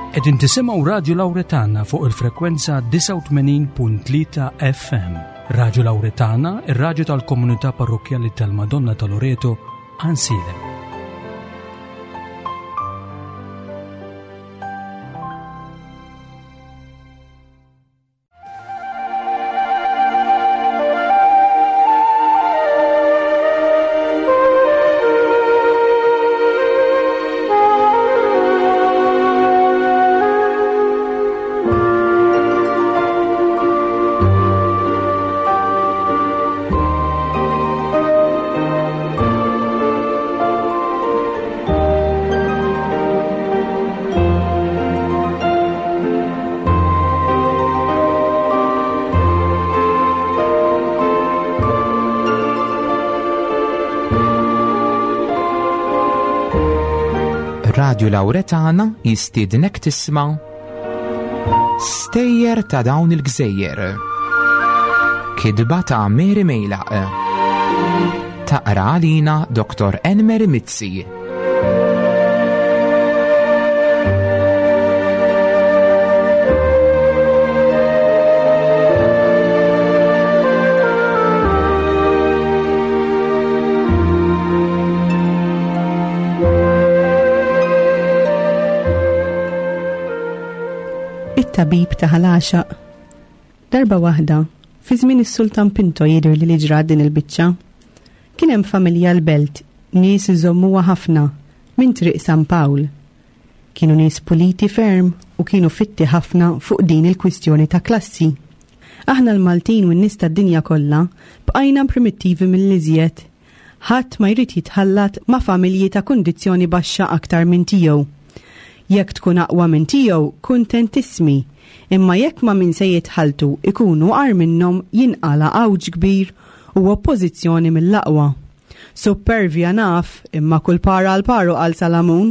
Qegħdin tisimgħu Radju Lawretana fuq il-frekwenza 89.3 FM. Radju Lawretana, ir-radju tal-komunità parrokkjali tal-Madonna ta' Loreto, Ansilem. Radju Lawretana jistiednek tisma' Stejjer ta' dawn il-gżejjer. Kidba ta' Mary Mejlaq. Taqra għalina Dr. Enmer Mizzi. It-tabib ta' ħalaxaq. Darba waħda, fi żmien is-Sultan Pinto jidher li li ġrat din il-biċċa. Kien hemm familja l-belt, nies iżommuha ħafna, minn Triq San Pawl. Kienu nies puliti ferm u kienu fitti ħafna fuq din il-kwistjoni ta' klassi. Aħna l-Maltin u n-nies tad-dinja kollha bqajna primittivi mill-iżjed. Ħadd ma jrid jitħallat ma' familji ta' kundizzjoni baxxa aktar minn tiegħu. Jekk tkun aqwa minn tiegħu kuntentissmi, imma jekk ma' min se jitħalltu ikunu agħar minnhom jinqala' għawġ kbir u oppożizzjoni mill-aqwa. Suppervja naf, imma kull par għal paru qal Salamun.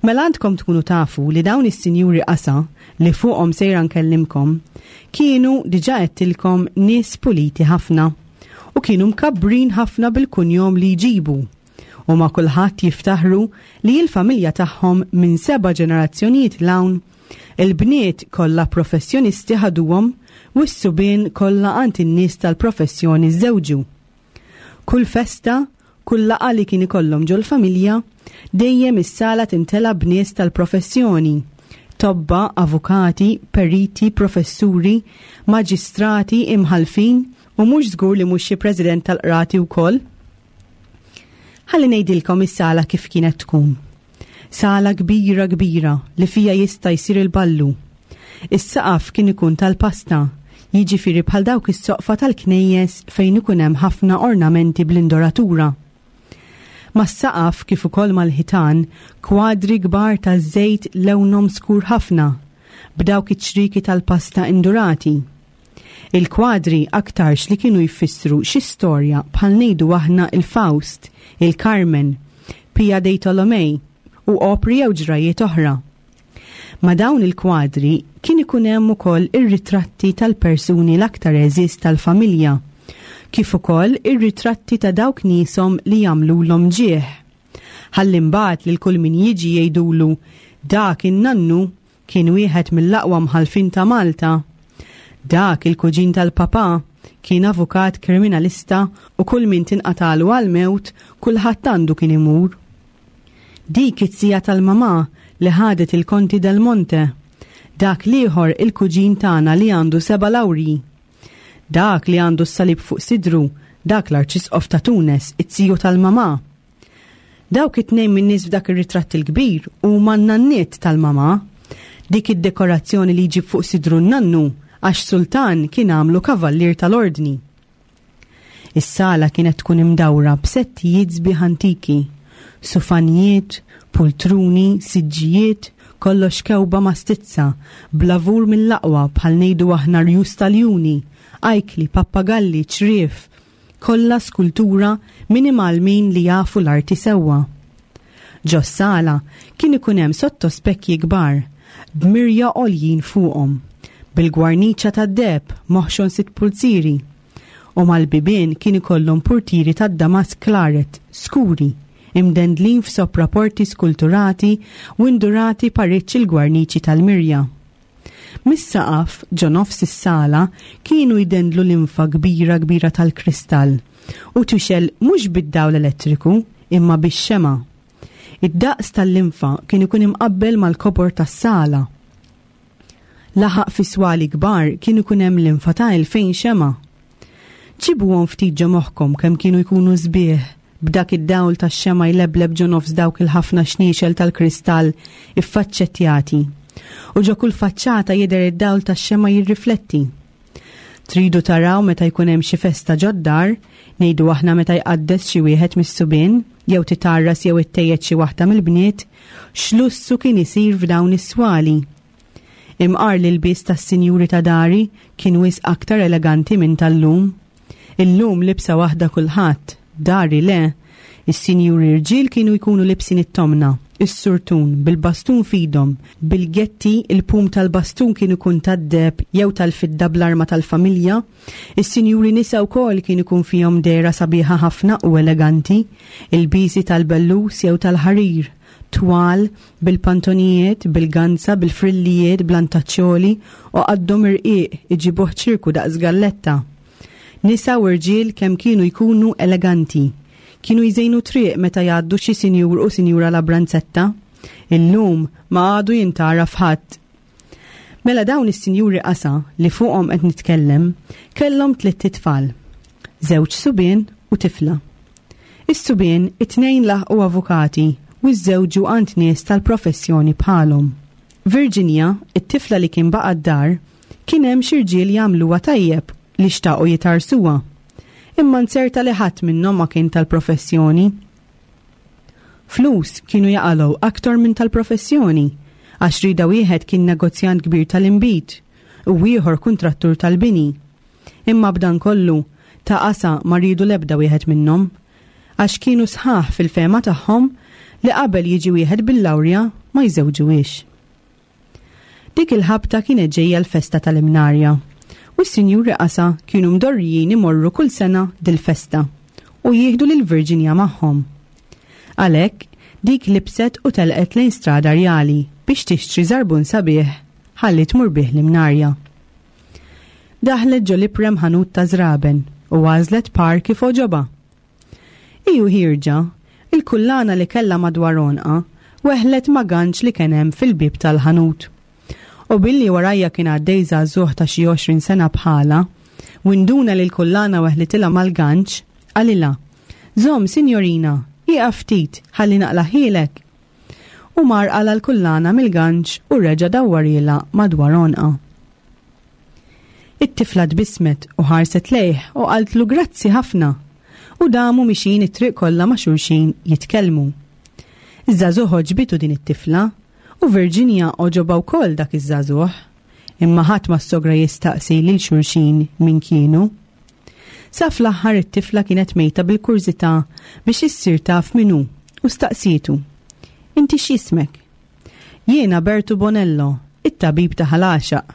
Mela għandkom tkunu tafu li dawn is-sinjuri qasa li fuqhom sejra nkellimkom kienu diġà għedtilkom nies puliti ħafna u kienu mkabbrin ħafna bil-kunjom li jġibu u ma' kulħadd jiftaħru li l-familja tagħhom minn seba' ġenerazzjonijiet 'l hawn il-bniet kollha professjonisti ħaduhom u s-subien kollha għand in-nies tal-professjoni żżewġu. Kull festa, kull laqgħa li kien ikollhom ġol-familja, dejjem is-sala tintela b'nies tal-professjoni, tobba, avukati, periti, professuri, maġistrati, imħallfin u mhux żgur li mhux xi president tal-qrati wkoll. Ħalli ngħidilkom is-sala kif kienet tkun. Sala kbira kbira li fija jista' jsir il-ballu. Is-saqaf kien ikun tal-pasta, jiġifieri bħal dawk is-soqfa tal-knejjes fejn ikun hemm ħafna ornamenti bl-indoratura. Mas-saqaf kif ukoll mal-ħitan kwadri kbar taż-żejt lewnhom skur ħafna, b'dawk iċ-ċrieki tal-pasta indurati. Il-kwadri aktarx li kienu jfissru xi storja bħal ngħidu aħna il-Faust, il-Carmen, Pia dei Tolomei u opri jew ġrajjiet oħra. Ma' dawn il-kwadri kien ikun hemm ukoll ir-ritratti tal-persuni l-aktar għeżież tal-familja, kif ukoll ir-ritratti ta' dawk nieshom li jagħmlulhom ġieħ. Ħalli mbagħad lil kull min jiġi jgħidulu dak in-nannu kien wieħed mill-aqwa mħallfin ta' Malta. Dak il-kuġin tal-papà kien avukat kriminalista u kull min tinqatagħlu għall-mewt kulħadd għandu kien imur. Dik it-zija tal-mamà li ħadet il-Konti Del Monte. Dak l-ieħor il-kuġin tagħna li għandu seba' lawrji. Dak li għandu s-salib fuq sidru, dak l-Arċisqof ta' Tunes, it-ziju tal-mamà. Dawk it-tnejn min-nies f'dak ir-ritratt il-kbir huma n-nanniet tal-mamà. Dik id-dekorazzjoni li jġib fuq sidru n-nannu għax sultan kien għamlu kavallier tal-ordni. Is-sala kienet tkun imdawra b'settijiet sbieħ antiki, sufanijiet, pultruni, siġġijiet, kollox kewba ma' stizza, b'lavur mill-aqwa bħal ngħidu aħna rjus ta' ljuni, ajkli, pappagalli, ċriev, kollha skultura minn imgħallmin li jafu l-arti sewwa. Ġos-sala kien ikun hemm sottospekji kbar, b'mirja għoljin fuqhom, bil-gwarniċa tad-deheb moħxon sitt pulzieri, u mal-bibien kien ikollhom purtieri tad-damask klaret, skuri, imdendlin f'sopraporti skulturati u indurati pariċċ il-gwarniċi tal-mirja. Mis-saqaf, ġo nofs is-sala, kienu jdendlu linfa kbira kbira tal-kristall u tixgħel mhux bid-dawl elettriku imma bix-xemgħa. Id-daqs tal-linfa kien ikun imqabbel mal-kobor tas-sala. Laħaq fi swali kbar kien ikun hemm linfa ta' 2000 xemgħa. Ġibuhom ftit ġo moħħkom kemm kienu jkunu sbieħ b'dak id-dawl tax-xemgħa jlebleb ġo nofs dawk il-ħafna xniexel tal-kristall iffaċċettjati. U ġo kull faċċata jidher id-dawl tax-xemgħa jirrifletti. Tridu taraw meta jkun hemm xi festa ġod-dar, ngħidu aħna meta jqaddes xi wieħed mis-subien, jew titgħarras jew ittejjed xi waħda mill-bniet, x'lussu kien isir f'dawn is-swali. Imqar l-ilbies tas-sinjuri ta' dari kien wisq aktar eleganti minn tal-lum. Illum libsa waħda kulħadd, dari le. Is-sinjuri rġiel kienu jkunu libsin it-tomna, is-surtun, bil-bastun f'idhom, bil-getti, il-pum tal-bastun kien ikun tad-deheb jew tal-fidda bl-arma tal-familja. Is-sinjuri nisa wkoll kien ikun fihom dehra sabiħa ħafna u eleganti, ilbiesi tal-bellus jew tal-ħarir, twal, bil-pantonijiet, bil-ganza, bil-frillijiet, bl-antaċċoli u qaddhom irqiq iġibuh ċirku daqs galletta. Nisa u rġiel kemm kienu jkunu eleganti. Kienu jżejnu triq meta jgħaddu xi sinjur u sinjura Labranzetta. Illum ma għadu jintgħaraf ħadd. Mela dawn is-sinjuri qasa li fuqhom qed nitkellem kellhom tlitt itfal. Żewġ subien u tifla. Is-subien it-tnejn laħqu avukati u żżewġu għand nies tal-professjoni bħalhom. Virginia, it-tifla li kien baqa' d-dar, kien hemm xi rġiel jagħmluha tajjeb li xtaqu jitgħarrsuha. Imma nzerta li ħadd minnhom ma kien tal-professjoni. Flus kienu jaqalgħu aktar minn tal-professjoni, għax rieda wieħed kien negozjant kbir tal-inbid u ieħor kuntrattur tal-bini. Imma b'dan kollu, ta' qasa ma riedu l-ebda wieħed minnhom, għax kienu sħaħ fil-fehma tagħhom li qabel jiġi wieħed bil-lawrja ma jżewġuhiex. Dik il-ħabta kienet ġejja l-festa tal-Imnarja u s-Sinjuri Qasa kienu mdorrijin imorru kull sena dil-festa u jieħdu lil Virginia magħhom. Għalhekk, dik libset u telqet lejn Strada Rjali biex tixtri żarbun sabiħ ħalli tmur bih l-Imnarja. Daħlet ġo l-iprem ħanut ta' żraben u għażlet par kif għoġobha. Hi u ħierġa, il-kullana li kellha madwar għonqha weħlet ma' ganċ li kien hemm fil-bieb tal-ħanut. U billi warajja kien għaddej żagħżugħ ta' xi 20 sena bħalha, u induna li l-kullana weħlitilha mal-ganċ, qalilha, Żomm, sinjorina, ieqaf ftit, ħalli naqlagħhielek. U mar qala' l-kullana mill-ganċ u reġa' dawwarhielha madwar għonqha. It-tifla tbissmet u ħarset lejh u qaltlu grazzi ħafna u damu mixjin it-triq kollha ma' xulxin jitkellmu. Iż-żagħżugħ għoġbitu din it-tifla u Virginia għoġobha wkoll dak iż-żagħżugħ. Imma ħadd ma ssogra jistaqsi lil xulxin min kienu. Sa fl-aħħar it-tifla kienet mejta bil-kurżità biex issir taf min hu u staqsietu. Inti x'jismek? Jiena Bertu Bonello, it-tabib ta' Ħal Għaxaq.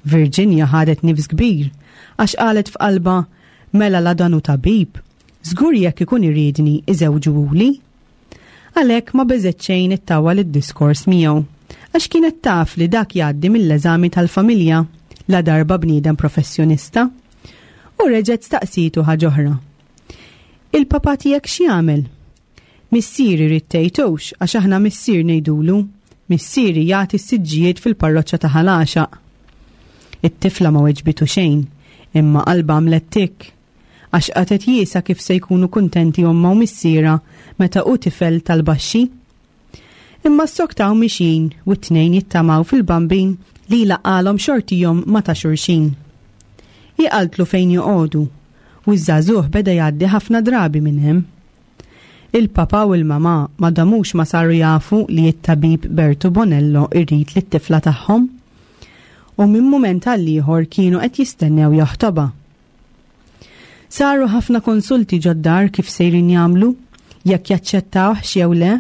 Virginia ħadet nifs kbir, għax qalet f'qalbha, mela la dan hu tabib, żgur jekk ikun iridni iżewġuhuli. Għalhekk ma beżgħet xejn ittawwal id-diskors miegħu, għax kienet taf li dak jgħaddi mill-eżami tal-familja, ladarba bniedem professjonista. U reġgħet staqsietu ħaġ'oħra. Il-papà tiegħek x'jagħmel? Missieri ried tgħidux għax aħna missier ngħidulu. Missieri jagħti s-siġġijiet fil-parroċċa ta' Ħal Għaxaq. It-tifla ma weġbitu xejn, imma qalbha għamlet tikk. Għax qatgħet jiesha kif se jkunu kuntenti ommha u missierha meta hu tifel tal-baxxi. Imma ssoktaw mixjin u t-tnejn jittamaw fil-Bambin li jlaqqagħlhom xortihom ma' ta' xulxin. Hi qaltlu fejn joqogħdu u ż-żagħżugħ beda jgħaddi ħafna drabi minn hemm. Il-papà u l-mamà ma damux ma saru jafu li t-tabib Bertu Bonello jrid lit-tifla tagħhom. U minn mument għall-ieħor kienu qed jistennew jaħtobha. Saru ħafna konsulti ġod-dar kif sejrin jagħmlu, jekk jaċċettawhx jew le.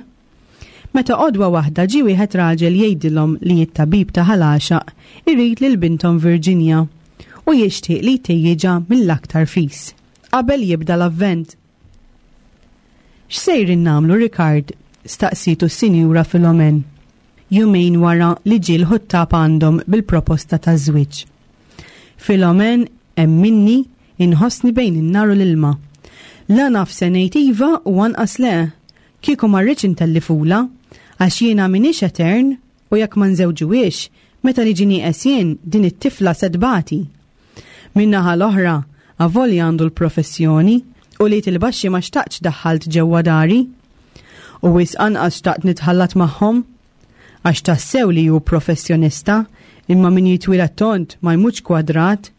Meta għodwa waħda ġie wieħed raġel jgħidilhom li t-tabib ta' Ħal Għaxaq irid lil binthom Virginia u jixtieq li jtejjiġha mill-aktar fis, qabel jibda l-Avvent. X'sejrin nagħmlu, Rikard? staqsietu s-Sinjura Filomen, jumejn wara li ġie l-ħuttab għandhom bil-proposta taż-żwieġ. Filomen, emminni, inħossni bejn in-nar u l-ilma. La naf se ngħid iva u anqas le. Kieku ma rridx intellifulha, għax jiena m'iniex etern u jekk ma nżewġuhiex, meta niġi nieqes jien, din it-tifla se tbati. Min-naħa l-oħra, avolja għandu l-professjoni, ulied il-baxxi ma xtaqtx daħħalt ġewwa dari. U wisq anqas xtaqt nitħallat magħhom. Għax tassew li hu professjonista, imma min jitwieled tond ma jmutx kwadrat,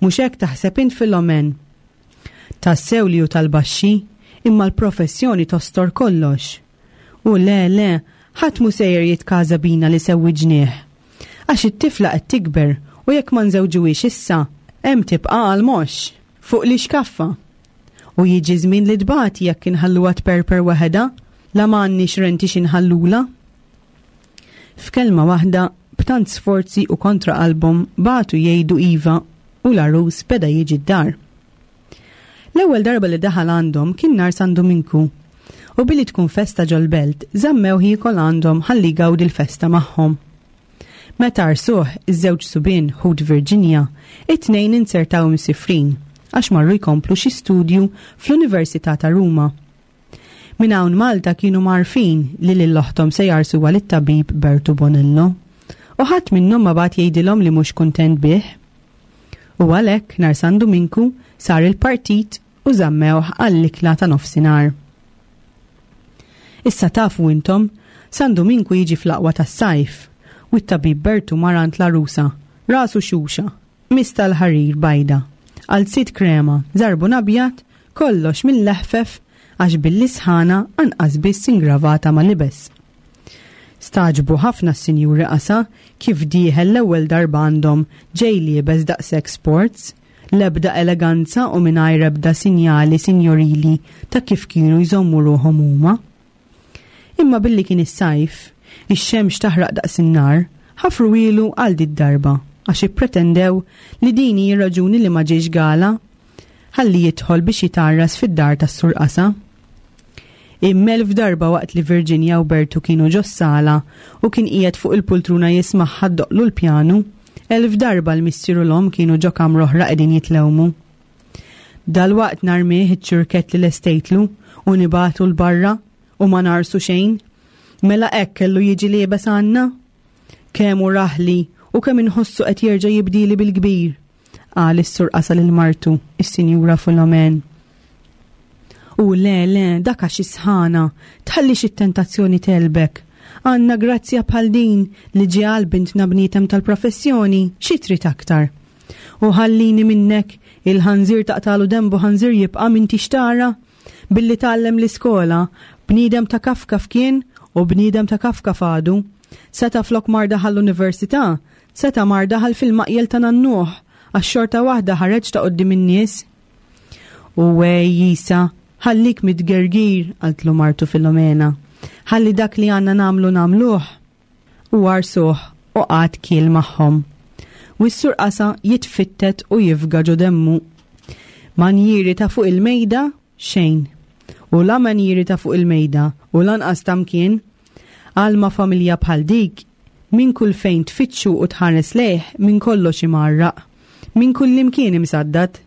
mhux hekk taħseb int Filomen? Tassew li hu tal-baxxi, imma l-professjoni tostor kollox. U le, le, ħadd mhu sejjer jitkaża bina li sewwiġnieh. Għax it-tifla qed tikber u jekk ma nżewġuhiex issa, hemm tibqa' għall-moxx, fuq l-ixkaffa. U jiġi żmien li tbati jekk inħalluha tperper waħedha, la ma għandniex renti xi nħallulha. F'kelma waħda, b'tant sforzi u kontra qalbhom bagħtu jgħidu iva u l-għarus beda jiġi d-dar. L-ewwel darba li daħal għandhom kien nhar San Duminku u billi tkun festa ġol-belt żammewh jiekol għandhom ħalli jgawdi l-festa magħhom. Meta għarsuh, iż-żewġ subien, ħut Virginia, it-tnejn inzertaw imsifrin għax marru jkomplu xi studju fl-Università ta' Ruma. Minn hawn Malta kienu mgħarrfin li lil oħthom se jgħarsuha lit-tabib Bertu Bonello. U ħadd minnhom ma bagħat jgħidilhom li mhux kuntent bih. U għalhekk nhar San Duminku sar il-partit u żammewh għall-ikla ta' nofsinhar. Issa tafu intom, San Duminku jiġi fl-aqwa tas-sajf, u t-tabib Bertu mar għand l-għarusa, rasu xuxa, qmis tal-ħarir bajda, qalziet krema, żarbun abjad, kollox mill-eħfef għax billi sħana anqas biss ingravata ma libes. Stagħġbu ħafna s-sinjuri qasa kif dieħel l-ewwel darba għandhom ġej liebes daqshekk sports, l-ebda eleganza u mingħajr ebda sinjali sinjorili ta' kif kienu jżommu ruħhom huma. Imma billi kien is-sajf, ix-xemx taħraq daqs in-nar, ħafruhielu għal did-darba għax ippretendew li din hi r-raġuni li ma ġiex gala ħalli jidħol biex jitgħarras fid-dar tas-Sur Qasa. Immel f'darba waqt li Virginia u Bertu kienu ġos-sala u kien qiegħed fuq il-pultruna jismagħha ddoqqlu l-pjanu, elf darba l-missier u l-omm kienu ġo kamra oħra qegħdin jitlewmu. Dalwaqt narmih iċ-ċurkett li lestejtlu u nibagħtu 'l barra u ma ngħarsu xejn. Mela hekk kellu jiġi liebes għandna? Kemm hu raħli u kemm inħossu qed jerġa' jibdili bil-kbir, qal is-Sur Qasa lil martu, is-Sinjura Filomen. U le, le, dak għax is-sħana, tħallix it-tentazzjoni tegħlbek. Għandna grazzja bħal din li ġie għal bintna bniedem tal-professjoni, xi trid aktar? U ħallini minnek, il-ħanżir taqtalu denbu ħanżir jibqa' m'intix tara? Billi tgħallem l-iskola, bniedem ta' kafkaf kien u bniedem ta' kafkaf għadu. Seta' flok mar daħal l-università, seta' mar daħal fil-maqjel ta' nannuh, għax xorta waħda ħareġ ta' quddiem in-nies. U wej Isa, ħallik mit-tgergir, qaltlu martu Filomena. Ħalli dak li għandna nagħmlu nagħmluh. U għarsuh u qagħad kiel magħhom. U s-Sur Qasa jitfittet u jifga ġo demmu. Manjieri ta' fuq il-mejda, xejn. U la manjieri ta' fuq il-mejda u lanqas ta' mkien. Għal ma' familja bħal dik, minn kull fejn tfittxu u tħares lejh minn kollox imgħarraq. Minn kullimkien imsaddad.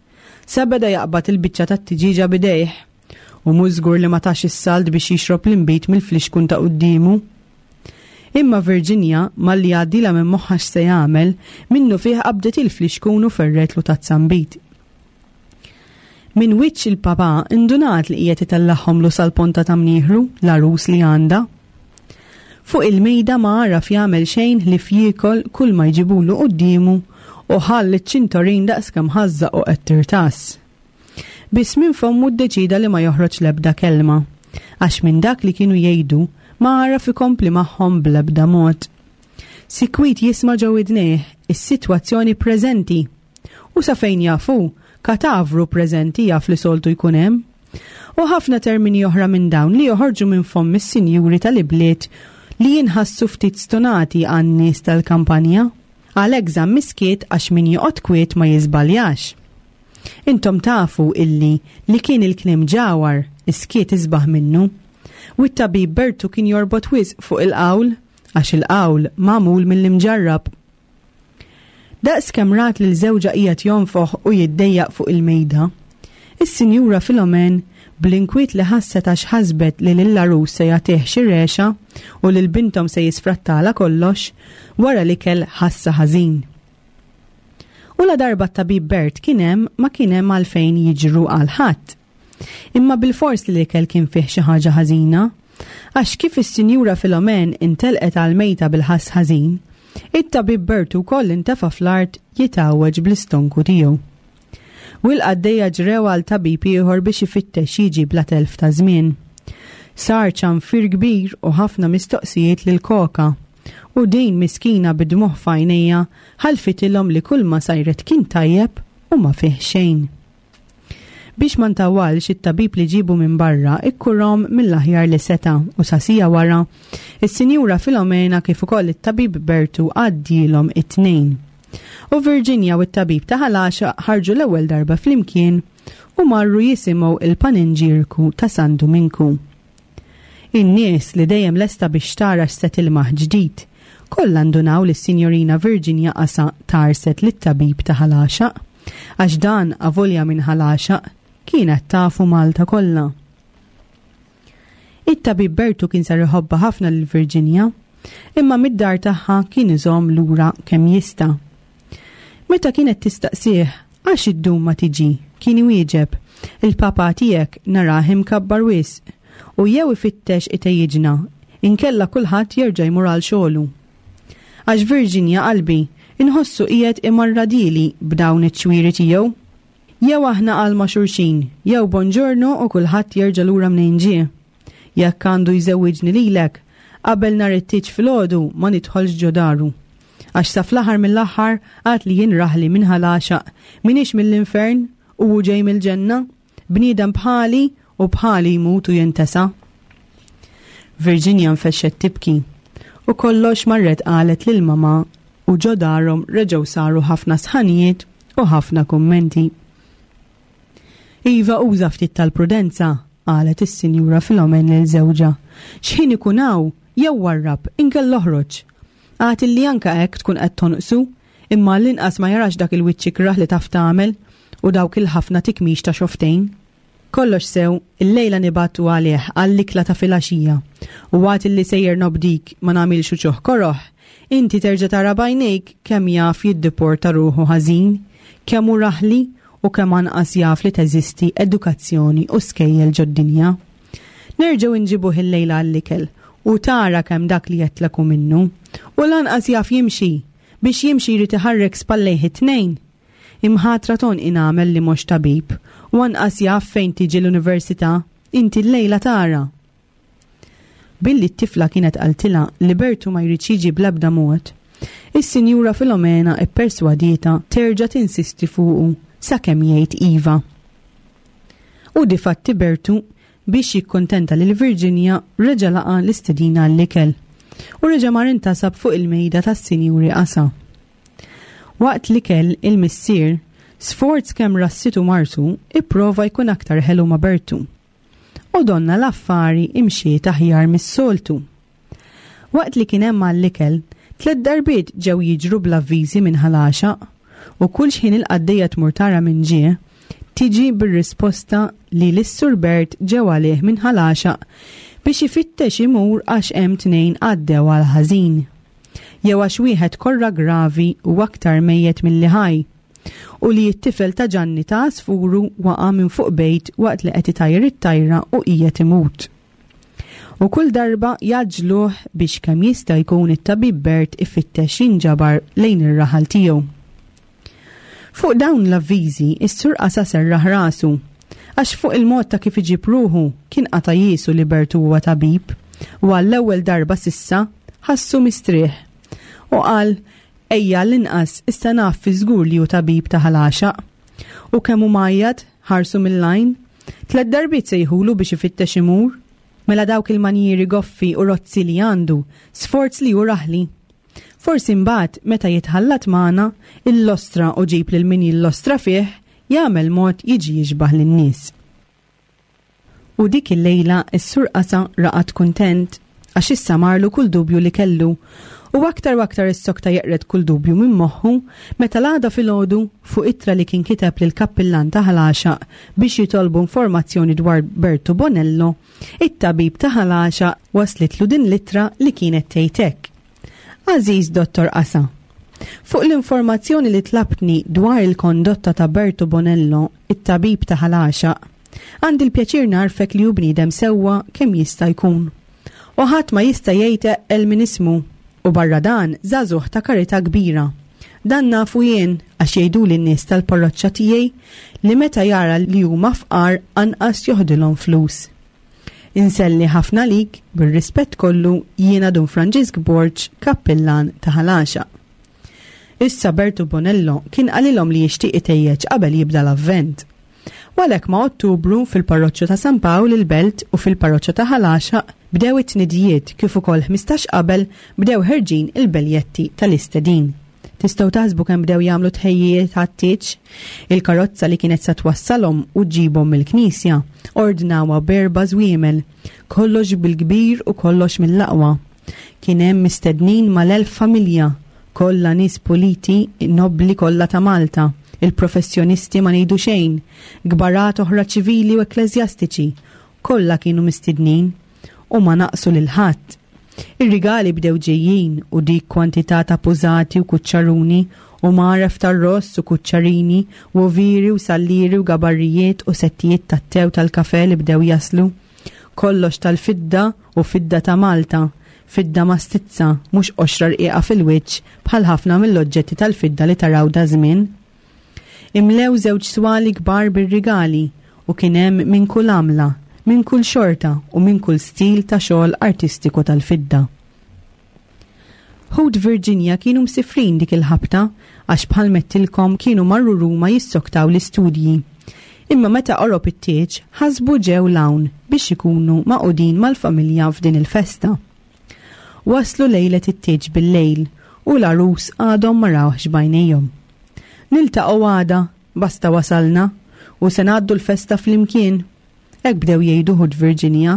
Sa beda jaqbad il-biċċa tat-tiġieġa b'idejh. U mhux żgur li ma tax is-salt biex jixrob l-inbid mill-flixkun ta' quddiemu. Imma Virginia, malli jgħaddilha minn moħħha x'se jagħmel, minnufih qabdet il-flixkun u ferretlu tazza nbid. Minn wiċċ il-papà indunat li qiegħed itellagħhomlu sal-ponta ta' mnieħru, l-għarus li għandha. Fuq il-mejda ma għaraf jagħmel xejn ħlief jiekol kull ma jġibulu quddiemu u ħall iċ-ċintorin daqskemm ħażżaq u qed tirtas. Biss minn fommu ddeċieda li ma joħroġ l-ebda kelma, għax minn dak li kienu jgħidu ma għaraf ikompli magħhom bl-ebda mod. Sikwit jisma' ġo widnejh is-sitwazzjoni preżenti. U sa fejn jaf hu, katavru preżenti jaf li soltu jkun hemm. U ħafna termini oħra minn dawn li joħorġu minn fomm is-sinjuri tal-ibliet li jinħassu ftit stunati għan-nies tal-kampanja. Għalhekk żamm is-skiet għax min joqgħod kwiet ma jiżbaljax. Intom tafu illi li kien il-kliem ġawhar, Is-skiet isbaħ minnu. U t-tabib Bertu kien jorbot wisq fuq il-qawl, għax il-qawl magħmul mill-imġarrab. Daqs kemm rat lil żewġha qiegħed jonfoħ u jiddejjaq fuq il-mejda, is-Sinjura Filomen, bl-inkwiet li ħasset għax ħasbet li lill-għarus se jagħtih xi regħxa u lil binthom se jisfrattalha kollox, wara l-ikel ħassha ħażin. U ladarba t-tabib Bert kien hemm ma kien hemm għalfejn jiġru għal ħadd. Imma bilfors li l-ikel kien fih xi ħaġa ħażina, għax kif is-Sinjura Filomen intelqet għall-mejta bil-ħass ħażin, it-tabib Bert ukoll intefa' fl-art jitgħawweġ bl-istonku tiegħu. U l-qaddejja ġrew għal tabib ieħor biex ifittex jiġi bla telf ta' żmien. Sar ċanfir kbir u ħafna mistoqsijiet lil Koka. U din miskina bid-dmugħ f'għajnejha ħalfitilhom li kulma sajret kien tajjeb u ma fih xejn. Biex ma ntawwalx it-tabib li ġiebu minn barra ikkurhom mill-aħjar li seta' u sa siegħa wara, is-Sinjura Filomena kif ukoll it-tabib Bertu għaddielhom it-tnejn. U Virginia u t-tabib ta' Ħal Għaxaq ħarġu l-ewwel darba flimkien u marru jisimgħu il-paninġierku ta' San Duminku. In-nies li dejjem lesta biex tara x'se tilmaħ ġdid, kollha ndunaw li s-Sinjorina Virginia qasha tgħarset lit-tabib ta' Ħal Għaxaq, għax dan avolja minn Ħal Għaxaq, kienet tafu Malta kollha. It-tabib Bertu kien sar iħobbha ħafna lil Virginia, imma mid-dar tagħha kien iżomm lura kemm jista'. Meta kienet tistaqsih Għax iddum ma tiġi, kien iwieġeb, il-papà tiegħek narah imkabbar wisq, u jew ifittex itejjiġna, inkella kulħadd jerġa' jmur għal xogħlu. Għax Virginia qalbi, inħossu qiegħed imarradili b'dawn iċ-ċwieri tiegħu. Jew aħna għal ma' xulxin, jew bonġorno u kulħadd jerġa' lura mnejn ġie. Jekk għandu jżewwiġni lilek, qabel nhar it-tieġ filgħodu ma nidħolx ġo daru. Għax sa fl-aħħar mill-aħħar għad li jien raħli minn Ħal Għaxaq, m'iniex mill-infern u hu ġej mill-ġenna, bniedem bħali u bħali jmut u jintesa. Virginia nfexxet tibki u kollox marret qalet lil mama u ġo darhom reġgħu saru ħafna sħanijiet u ħafna kummenti. Iva uża ftit tal-prudenza, qalet is-Sinjura Filomen lil żewġha. X'ħin ikun hawn, jew warrab, inkella oħroġ. Għad illi anke hekk tkun qed tonqsu, imma għall-inqas ma jarax dak il-wiċċ ikrah li taf tagħmel u dawk il-ħafna tikmix ta' xofftejn. Kollox sew, illejla nibgħatu għalih għall-ikla ta' filgħaxija, u għad illi sejjer nobdik ma nagħmilx uċuħ koroh, inti terġa' tara b'għajnejk kemm jaf jiddiporta ruħu ħażin, kemm hu raħli u kemm anqas jaf li teżisti edukazzjoni u skejjel ġod-dinja. Nerġgħu nġibuh illejla għall-ikel u tara kemm dak li għedtlek hu minnu. U lanqas jaf jimxi! Biex jimxi jrid iħarrek spallejh it-tnejn! Imħatra t'għonqi nagħmel li mhux tabib u anqas jaf fejn tiġi l-università, inti llejla tara! Billi t-tifla kienet qaltilha li Bertu ma jridx jiġi bl-ebda mod, is-Sinjura Filomena pperswadietha terġa' tinsisti fuqu sakemm jgħid iva. U difatti Bertu, biex jikkuntenta lil Virginia, reġa' laqa' l-istedina għall-ikel u reġa' mar intasab fuq il-mejda tas-Sinjuri Qasa. Waqt l-ikel, il-missier, sforz kemm rassitu martu, ipprova jkun aktar ħelu ma' Bertu. U donna l-affari imxiet aħjar mis-soltu. Waqt li kien hemm għall-ikel, tlett darbiet ġew jiġru bl-avviżi minn Ħal Għaxaq, u kull xħin il-qaddejja tmur tara min ġie, tiġi bir-risposta li lis-Sur Bert ġew għalih minn Ħal Għaxaq biex ifittex imur għax hemm tnejn għaddew għall-ħażin. Jew għax wieħed korra gravi u aktar mejjet milli ħaj. U li t-tifel ta' Ġanni ta' Għasfuru waqa' minn fuq bejt waqt li qed itajjar it-tajra u qiegħed imut. U kull darba jgħaġġluh biex kemm jista' jkun it-tabib Bert ifittex jinġabar lejn ir-raħal tiegħu. Fuq dawn l-avviżi, is-Sur Qasa serraħ rasu, għax fuq il-mod ta' kif iġib ruħu kien qata' jiesu li Bertu huwa tabib, u għall-ewwel darba s'issa ħassu mistrieħ. U qal, Ejja għall-inqas issa naf fi żgur li hu tabib ta' Ħal Għaxaq. U kemm hu mgħajjat, ħarsu mill-għajn. Tlett darbiet sejħulu biex ifittex imur. Mela dawk il-manjieri goffi u rozzi li għandu, sforz li hu raħli. Forsi mbagħad meta jitħallat magħna, illostra u ġib lil min jillostra fih, jagħmel mod jiġi jixbah lin-nies. U dik il-lejla s-Sur Qasa raqad kuntent għax issa marlu kull dubju li kellu. U aktar u aktar issokta jeqred kull dubju minn moħħu meta l-għada filgħodu fuq ittra li kien kiteb lill-kappillan ta' Ħal Għaxaq biex jitolbu informazzjoni dwar Bertu Bonello, it-tabib ta' Ħal Għaxaq waslitlu din l-ittra li kienet tgħid hekk. Għażiż Dottor Qasa, Fuq l-informazzjoni li tlabtni dwar il-kondotta ta' Bertu Bonello, it-tabib ta' Ħal Għaxaq, għandi l-pjaċir ngħarrfek li hu bniedem sewwa kemm jista' jkun. U ħadd ma jista' jgħid eqqel minn ismu. U barra dan, żagħżugħ ta' karità kbira. Dan nafu jien għax jgħiduli n-nies tal-parroċċa tiegħi li meta jara li huma fqar anqas joħdilhom flus. Inselli ħafna għalik, bir-rispett kollu, jiena Dun Franġisk Borg, kappillan ta' Ħal Għaxaq. Issa Bertu Bonello kien qalilhom li jixtieq itejjeġ qabel jibda l-Avvent. U għalhekk ma' Ottubru fil-parroċċa ta' San Pawl il-Belt u fil-parroċċa ta' Ħal Għaxaq bdew it-tnidijiet kif ukoll 15 qabel bdew ħerġin il-beljetti tal-istedin. Tistgħu taħsbu kemm bdew jagħmlu tħejjijiet għat-tieġ? Il-karozza li kienet sa twassalhom u ġġibhom mill-knisja ordnawha b'erba' żwiemel, kollox bil-kbir u kollox mill-aqwa. Kien hemm mistednin mal-1000 familja, kollha nies puliti, nobbli kollha ta' Malta, il-professjonisti ma ngħidu xejn, kbarat oħra ċivili u ekkleżjastiċi, kollha kienu mistednin u ma naqsu lil ħadd. Ir-rigali bdew ġejjin u dik kwantità ta' pużati u kuċċaruni u mgħaref tar-ross u kuċċarini u ovieri u sallieri u gabarrijiet u settijiet tat-te u tal-kafè li bdew jaslu. Kollox tal-fidda u fidda ta' Malta, fidda mastizza, mhux qoxra rqiqa fil-wiċċ bħal ħafna mill-oġġetti tal-fidda li taraw daż-żmien. Imlew żewġ swali kbar bir-rigali u kien hemm minn kull għamla, minn kull xorta u minn kull stil ta' xogħol artistiku tal-fidda. Ħut Virginia kienu msifrin dik il-ħabta għax bħal m'għedtilkom kienu marru Ruma jissoktaw l-istudji. Imma meta qorob it-tieġ ħasbu ġew 'l hawn biex ikunu magħqudin mal-familja f'din il-festa. Waslu lejlet it-tieġ bil-lejl u l-għarus għadhom ma rawhx b'għajnejhom. Niltaqgħu għada, basta wasalna, u se ngħaddu l-festa flimkien. Hekk bdew jgħidu ħut Virginia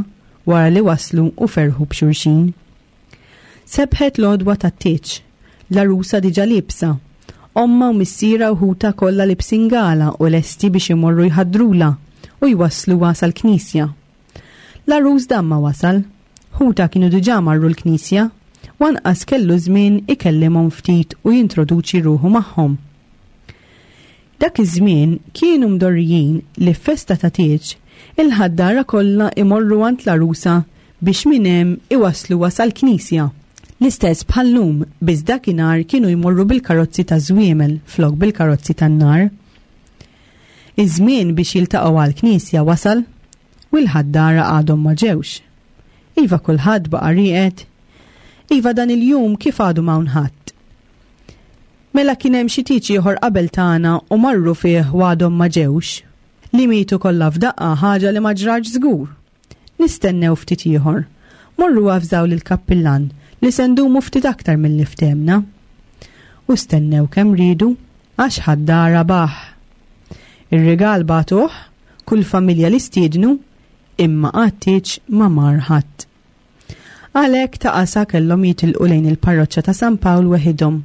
wara li waslu u ferħu b'xulxin. Sebħet l-għodwa tat-tieġ. L-għarusa diġà liebsa. Ommha u missierha u ħutha kollha libsin gala u lesti biex imorru jħaddrulha u jwassluha sal-knisja. L-għarus dam ma wasal. Ħutha kienu diġà marru l-knisja, u anqas kellu żmien ikellimhom ftit u jintroduċi ruħu magħhom. Dak iż-żmien kienu mdorrijin li f'festa ta' tieġ, il-ħaddara kollha imorru għand l-għarusa biex minn hemm iwassluha sal-knisja. L-istess bħal-lum, biss dakinhar kienu jmorru bil-karozzi taż-żwiemel flok bil-karozzi tan-nar. Iż-żmien biex jiltaqgħu għall-knisja wasal u l-ħaddara għadhom ma ġewx. Iva kulħadd baqa' rieqed. Iva dan il-jum kif għadu m'hawn ħadd. Mela kien hemm xi tieġ ieħor qabel tagħna u marru fih u għadhom ma ġewx. Li mietu kollha f'daqqa ħaġa li ma ġratx żgur. Nistennew ftit ieħor. Morru avżaw lill-kappillan li se ndumu ftit aktar milli ftehmna. U stennew kemm riedu għax ħaddara baħ. Ir-rigal bagħtuh, kull familja li stiednu, imma għat-tieġ ma mar ħadd. Għalhekk ta' qasa kellhom jitilqu lejn il-parroċċa ta' San Pawl weħidhom,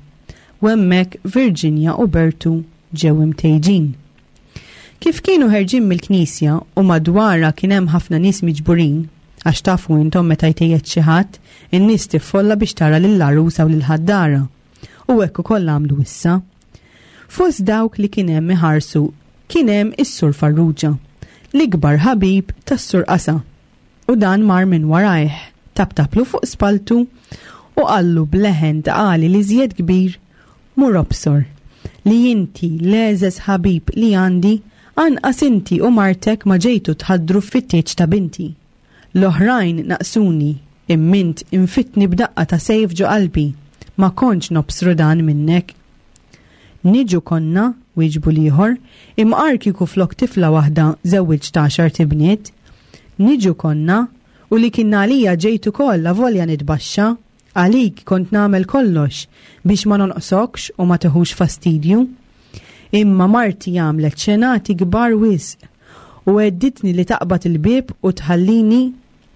u hemmhekk Virginia u Bertu ġew imtejġin. Kif kienu ħerġin mill-knisja u madwarha kien hemm ħafna nies miġburin, għax tafu intom meta jtejjed xi ħadd, in-nies tiffolla biex tara lill-għarusa u lill-ħaddara. U hekk ukoll għamlu issa. Fost dawk li kien hemm iħarsu kien hemm is-Sur Farrugia, l-ikbar ħabib tas-Sur Qasa. U dan mar minn warajh, taptaplu fuq spalltu u qallu b'leħen ta' għali l-iżjed kbir, Mur obsor, li inti l-egħżeż ħabib li għandi, anqas inti u martek ma ġejtu tħaddru fit-tieġ ta' binti. L-oħrajn naqsuni, imm'int infidtni b'daqqa ta' sejf ġo qalbi, ma kontx nobsru dan minnek. Niġu konna, wieġbu l-ieħor, imqar kieku flok tifla waħda żewwiġt għaxart ibniet. Niġu konna, u li kien għalija ġejt ukoll avolja nitbaxxa. Għalik kont nagħmel kollox biex ma nonqsokx u ma tiħux fastidju. Imma marti għamlet xenati kbar wisq. U għedditni li taqbad il-bieb u tħallini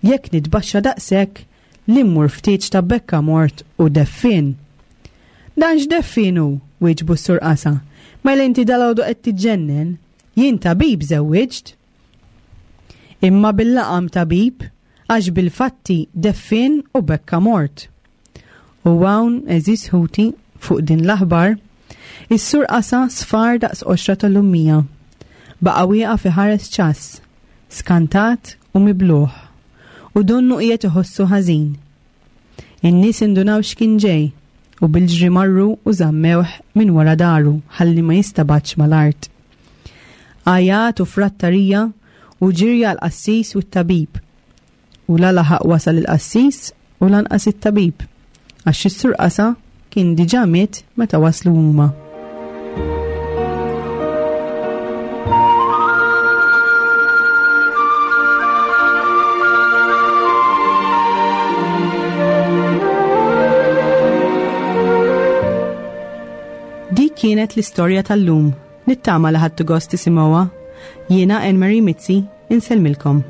jekk nitbaxxa daqshekk li mmur ftit ta' bekka mort u deffien. Dan x'deffien hu? wieġbu s-Sur Qasa. Mela inti dalgħodu qed tiġġennen. Jien tabib żewwiġt. Imma bil-laqam tabib għax bil-fatti deffien u bekka mort. U hawn, għeżież ħuti, fuq din l-aħbar, is-Sur Qasa sfar daqs qoxra tal-lummija. Baqa' wieqaf iħares ċass, skantat u mibluh, u donnu qiegħed iħossu ħażin. In-nies indunaw x'kien ġej, u bil-ġri marru u żammewh minn wara daru ħalli ma jistabatx mal-art. Għajat u frattarija u ġirja għall-qassis u t-tabib. U la laħaq wasal il-qassis u lanqas it-tabib, għax is-Sur Qasa kien diġà miet meta waslu huma. Dik kienet l-istorja tal-lum. Nittama li ħadtu gost tisimgħuha. Jiena Anne Marie Mizzi, insellmilkom.